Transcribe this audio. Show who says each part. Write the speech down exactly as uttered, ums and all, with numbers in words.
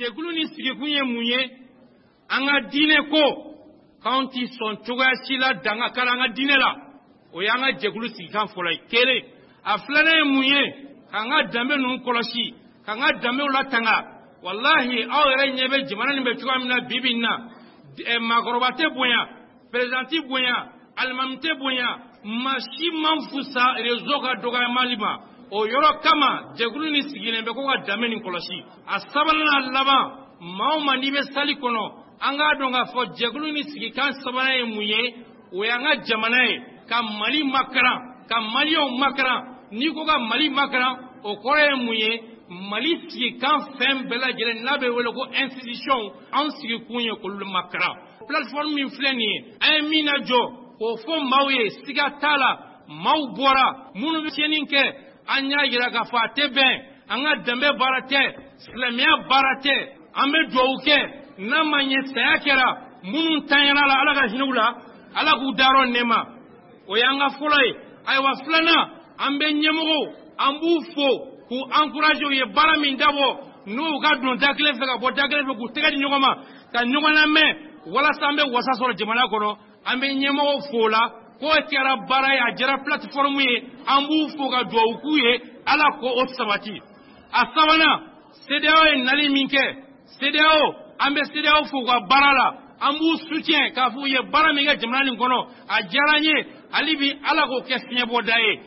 Speaker 1: Jɛkulu ni sigikun ye mun ye? An ka diinɛ ko k'anw ti sɔn cogoya si la danga kari an ka diinɛ la. O y'an ka jɛkulu sigikan fɔlɔ ye. Kelen, a filanan ye mun ye? K'an ka danbe ninnu kɔlɔsi, k'an ka danbew latanga. Walahi, aw yɛrɛ ɲɛ bɛ jamana nin bɛ cogoya min na bi bi in na, maakɔrɔba tɛ bonya, président tɛ bonya, alimami tɛ bonya, maa si man fusa réseau ka dɔgɔyamali ma. O yɔrɔ kama jɛkulu ni sigilen bɛ ko ka danbe nin kɔlɔsi. A sabanan n'a laban, maa o maa n'i bɛ sali kɔnɔ, an k'a dɔn k'a fɔ jɛkulu ni sigikan sabanan ye mun ye? O y'an ka jamana ye, ka Mali makaran, ka maliyɛnw makaran. N'i ko ka Mali makaran, o kɔrɔ ye mun ye? Mali sigikan fɛn bɛɛ lajɛlen n'a bɛ wele ko institution, anw sigikun ye k'olu makaran. Plateforme min filɛ nin ye, an ye min lajɔ k'o fɔ maaw ye, siga t'a la maaw bɔra minnu bɛ tiɲɛni kɛ, an y'a yira k'a fɔ a tɛ bɛn, an ka danbe baara tɛ, silamɛya baara tɛ. An bɛ dugawu kɛ, n'a ma ɲɛ saya kɛra minnu tanyana la, Ala ka hinɛ u la, Ala k'u dayɔrɔ nɛɛma. O y'an ka fɔlɔ ye. Ayiwa, filanan, an bɛ ɲɛmɔgɔw, an b'u fo k'u encourager. U ye baara min dabɔ, n'u ka don da kelen fɛ ka bɔ da kelen fɛ, k'u tɛgɛ di ɲɔgɔn ma ka ɲɔgɔn lamɛn walasa an bɛ wasa sɔrɔ jamana kɔnɔ. An bɛ ɲɛmɔgɔw fo o la k'o kɛra baara ye, a jɛra plateforme ye. An b'u fo ka dugawu k'u ye, Ala k'o sabati. A sabanan, CEDEAO ye nali min kɛ, CEDEAO, an bɛ CEDEAO fo u ka baara la, an b'u soutien k'a fɔ u ye baara min kɛ jamana nin kɔnɔ, a diyara an ye. Hali bi, Ala k'o kɛ fiɲɛbɔda ye.